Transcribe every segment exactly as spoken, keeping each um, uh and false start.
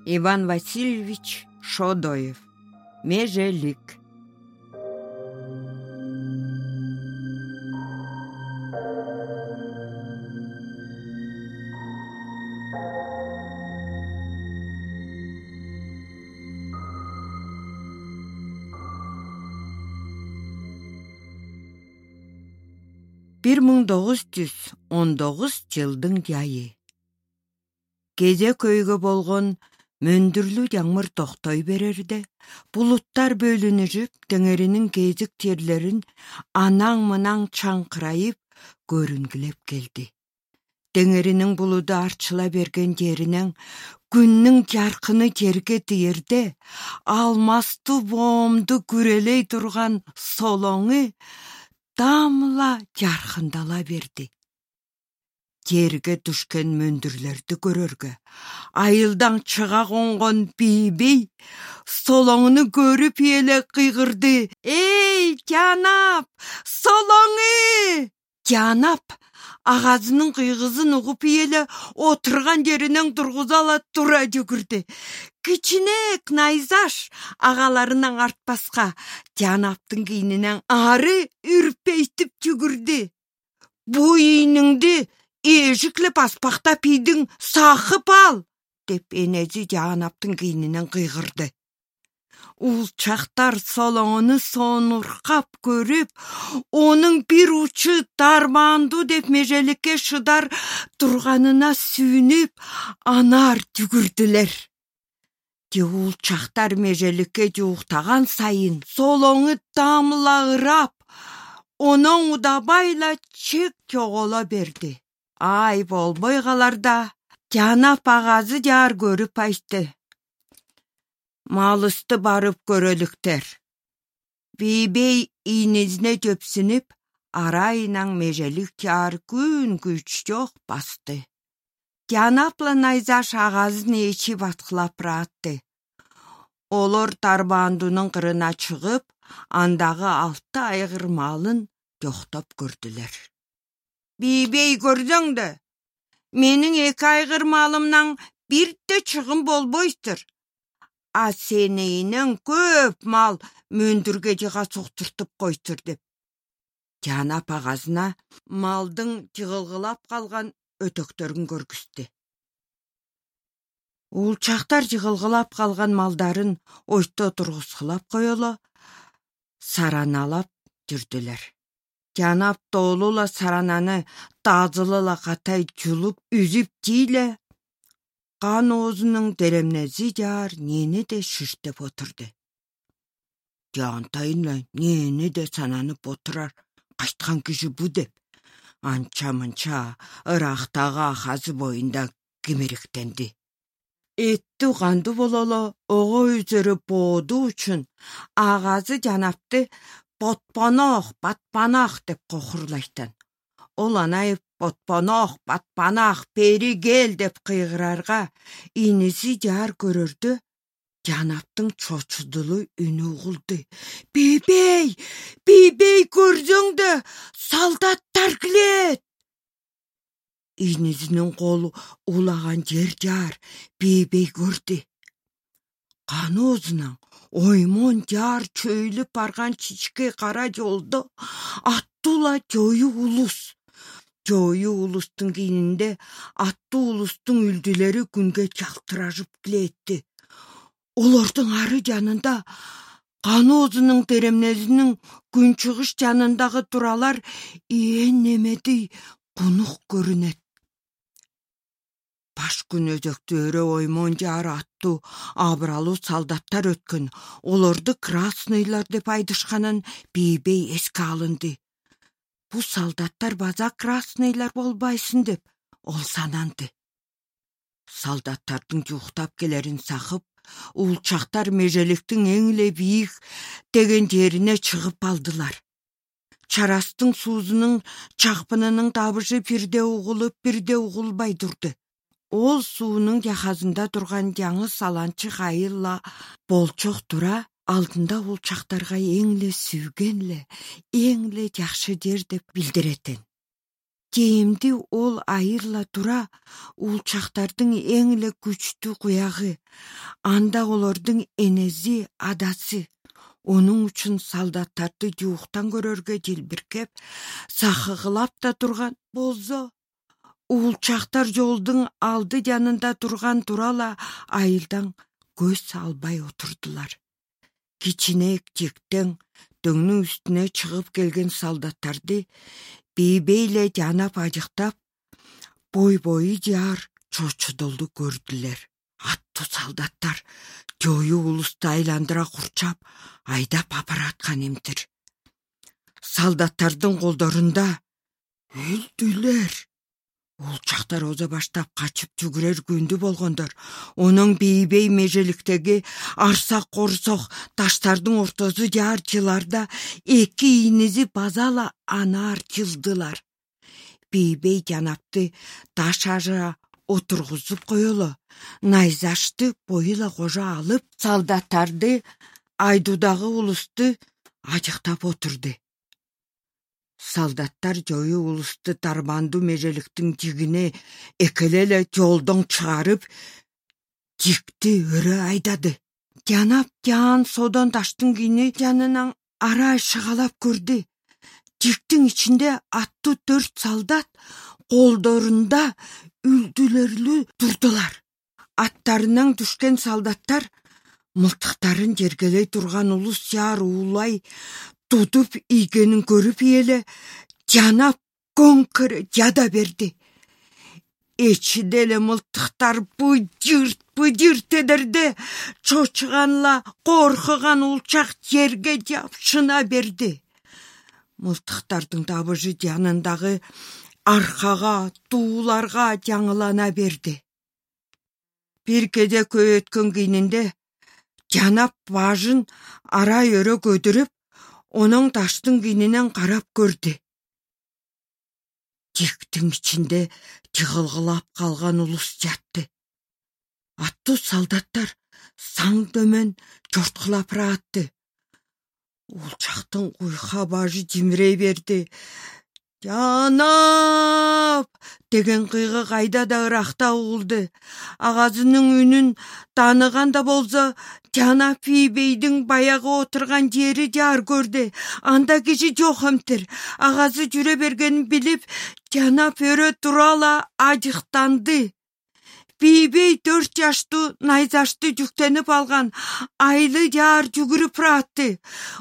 Иван Васильевич Шодоев. Межелик. бир миң тогуз жүз он тогуз жылдын жайы. Кеже көйгө болгон мөндүрлүү жамыр токтой берерде, булуттар бөлүнүшүп, теңеринин кезик жерлерин анаң-мынаң чаңкырайып көрүнгүлөп келди. Теңеринин булуду арчыла берген жеринен күндүн жаркыны жерге тиерде, алмастуу боомду күрелей турган солоңу дамла жаркындала берди. Жерге түшкөн мөндүрлөрдү көрөргө, айылдан чыга конгон бийбей солоңуну көрүп эле кыйгырды. Эй, жанап, солоңу! Жанап агазынын кыйгызын угуп эле отурган жеринен тургуза ала тура жүгүрдү. Кичинек найзаш агаларынан артпаска, Жанаптын кийининен ары үрпейтип жүгүрдү. Бу ийниңди эшиклеп аспакта пийдиң сакып ал, деп энеси Жанаптын кийининен кыйгырды. Улчактар солоңуну сонуркап көрүп, онун бир учу дармандуу деп межеликке шыдар турганына сүйүнүп, анар жүгүрдүлөр. Улчактар межеликке жууктаган сайын солоңу дамла ырап, онон удабайла чек жоголо берди. Ай болбой калар да, Жанап агазы жаар көрүп айтты. Малысты барып көрөлүктөр. Бийбей ийнесине жөпсүнүп, арайынан межелик жаар күн күч жок басты. Жанапла найзаш агазын ээчип аткылап ыраатты. Олор Тарбандунун кырына чыгып, андагы алты айгыр малын жоктоп көрдүлөр. Бийбей көрсөң да, менин эки айгыр малымнан бирде чыгым болбойсур. А сенейинен көп мал мөндүргө жыга соктуртуп койсур деп. Жанап агазына малдын жыгылгылап калган өтөктөрүн көргүздү. Улчактар жыгылгылап калган малдарын ойто тургузгулап коело, сараналап жүрдүлөр. Жанап тоолула сарананы тазылыла катай жулуп, үзүп жийле, кан оозунун деремнези жаар нени де шиштеп отурду. Жантайын нени де сананып отурар, кайткан киши бу деп, анча-мынча ырактагы ахазы боюнда кимириктенди. Эттүү кандуу бололо ого үзөрү боодуу үчүн агазы Жанапты Ботпонох, Батпанах деп кохурлайттан. Ол анайып Ботпонох, Батпанах, бери кел деп кыйгырарга, ийниси жаар көрөрдө, Жанаптын чочудулуу үнү угулду. Бийбей, бийбей көрсөң да, солдаттар келет. Ийнисинин колу улаган жер жаар бийбей көрдү. Кан оозунан оймон жаар чөйлүп барган чичке кара жолдо аттуула жою улус. Жою улустун кийининде аттуу улустун үлдүлөрү күнгө жалтырашып келетти. Олордун ары жанында кан оозунун теремнесинин күнчыгыш жанындагы туралар ээн немеди кунук көрүнөт. Баш күн өзөктү өрө оймон жаар аттуу абыралуу солдаттар өткөн. Олорду красныйлар деп айдышканын бийбей эске алынды. Бу солдаттар база красныйлар болбайсың деп ол сананды. Солдаттардын жуктап келерин сакып, улчактар межеликтин эң эле бийик деген жерине чыгып алдылар. Чарастын суузунун чакпынынын табышы бирде угулуп, бирде угулбай турду. Ол суунун жахазында турган жаңы саланчы айылла болчок тура, алдында улчактарга эң эле сүйгөн эле, эң эле жакшы жер деп билдиретін. Кээмди ол айырла тура улчактардын эң эле күчтүү куягы, анда олордун энеси, адасы. Onun үчүн солдаттарды жууктан көрөргө жылбиркеп, сахыгылап да турган болсо, улчактар жолдун алды жанында турган турала айылдан көз албай отурдулар. Кичинек жиктен дөңнүн үстүнө чыгып келген солдаттарды бийбейле жанап ажыктап, бой-бою жаар чочудолду көрдүлөр. Аттуу солдаттар жою улусту айландыра курчап, айдап апараткан эмтир. Солдаттардын колдорунда өлдүлөр. Улчактар озо баштап качып жүгүрөр күндү болгондор. Онун бийбей межеликтеги арсак корсок таштардын ортосу жаар жыларда эки инизи базала анаар жылдылар. Бийбей жанапты таш ажыра отургузуп коелу, найзашты боюла кожо алып, солдаттарды айдуудагы улусту ажыктап отурду. Солдаттар жою улусту тарбандуу межеликтин жигине экелеле жолдон чыгарып, жикти өрө айдады. Жанап жаан содон таштын кийини жанынан арай шыгалап көрдү. Жиктин ичинде аттуу төрт солдат колдорунда үлдүлөрүлүү турдулар. Аттарынан түшкөн солдаттар мылтыктарын жергелей турган улус жаар уулай тутуп ийгенин көрүп эле жанап көңкөрө жада берди. Эчиде эле мылтыктар быжырт быжырт эдерде чочуганла коркуган улчак жерге жапшына берди. Мылтыктардын табыжы жанындагы аркага, тууларга жаңылана берди. Бир кеде көй өткөн кийининде жанап бажын арай өрө көтөрүп, онун таштын кийининен карап көрдү. Жиктин ичинде жыгылгылап калган улус жатты. Аттуу солдаттар саң дөмөн жорткулап ыраатты. Улчактын куйка бажы жимирей берди. «Жанап!» деген кыйгы кайда да ыракта угулду. Агазынын үнүн тааныганда болсо, жанап бийбейдин баягы отурган жери жаар көрдү. Анда киши жок эмтир. Агазы жүрө бергенин билип, жанап өрө турала ажыктанды. Бийбей төрт жаштуу найзашты жүктенип алган айлы жаар жүгүрүп ыраатты.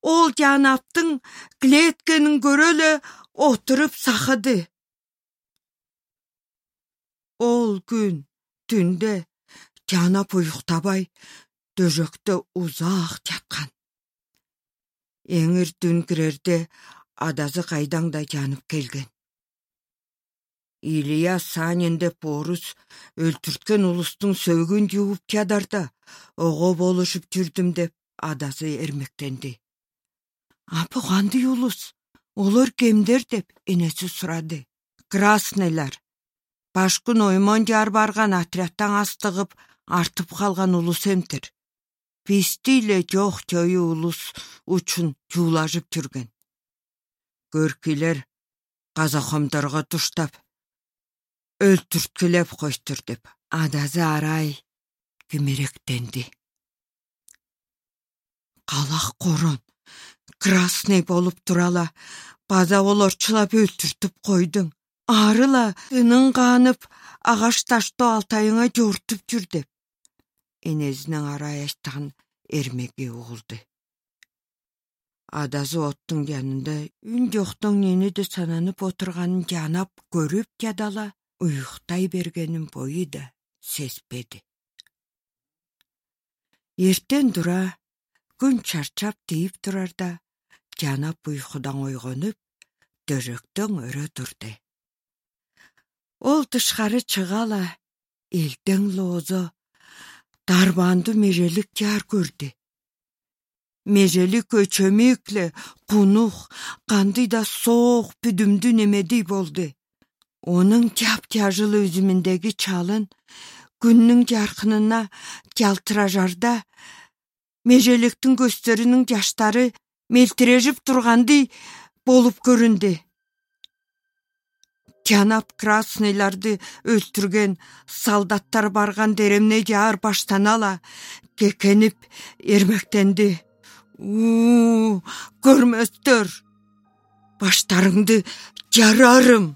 Ол жанаптын клеткенин көрөлө отуруп сахыды. Ол күн түндө жанап уюктабай дөжөктө узак жаткан. Эңир түн кирерде адасы кайдан да жанып келген. Илья Санин деп орус өлтүрткөн улустун сөөгүн жууп чадарда ого болушуп жүрдүм деп адасы эрмектенди. Апы кандай улус? Олор кемдер деп энеси сурады. Краснайлар. Башкын оймон жаар барган отрядтан астыгып артып калган улус эмтир. Бизди эле жок жою улус үчүн жуулашып жүргөн. Көркүйлөр казакомдорго туштап өлтүрткүлөп коштур деп адасы арай кимиректенди. Калак корон красный болуп турала база олорчулап өлтүртүп койдуң. Арыла ынын канып агаш таштоо алтайыңа жортуп жүр деп энесинин арай ачтан эрмеги угулду. Адасы оттун жанында үн жоктон нениде сананып отурганын жанап көрүп жадала уюктай бергенин бою да сезбеди. Эртен тура күн чарчап тийип турарда жанап уйкудан ойгонуп дөжөктөн өрө турду. Ол тышкары чыгала элден лоозо дарбандуу межелик жаар көрдү. Межелик көчөмүкле кунук, кандай да соок бүдүмдүү немедей болду. Онун жап-жажыл үзүмүндөгү чалын күндүн жаркынына жалтыражарда межеликтин көздөрүнүн жаштары мелтирешип тургандай болуп көрүндү. тянап красныйларды өлтүргөн солдаттар барган деремне жаар баштанала кекенип эрмектенди. У, көрмөстөр, баштарыңды жарарым.